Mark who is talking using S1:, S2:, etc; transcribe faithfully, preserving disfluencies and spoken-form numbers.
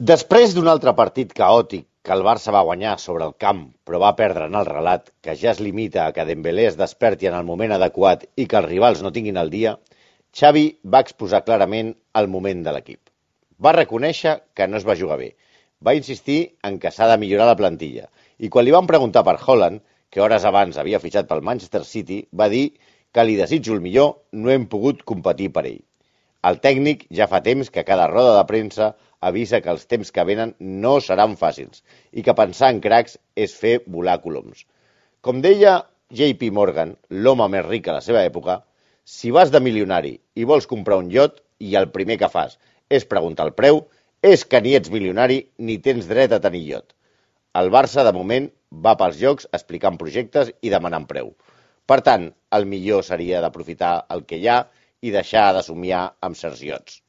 S1: Després d'un altre partit caòtic que el Barça va guanyar sobre el camp però va perdre en el relat, que ja es limita a que Dembélé es desperti en el moment adequat i que els rivals no tinguin el dia, Xavi va exposar clarament el moment de l'equip. Va reconèixer que no es va jugar bé, va insistir en que s'ha de millorar la plantilla i quan li van preguntar per Haaland, que hores abans havia fitxat pel Manchester City, va dir que li desitjo el millor, no hem pogut competir per ell. El tècnic ja fa temps que a cada roda de premsa avisa que els temps que venen no seran fàcils i que pensar en cracs és fer volar coloms. Com deia J P Morgan, l'home més ric a la seva època, si vas de milionari i vols comprar un iot i el primer que fas és preguntar el preu, és que ni ets milionari ni tens dret a tenir iot. El Barça, de moment, va pels llocs explicant projectes i demanant preu. Per tant, el millor seria d'aprofitar el que hi ha i deixar de somiar amb certs iots.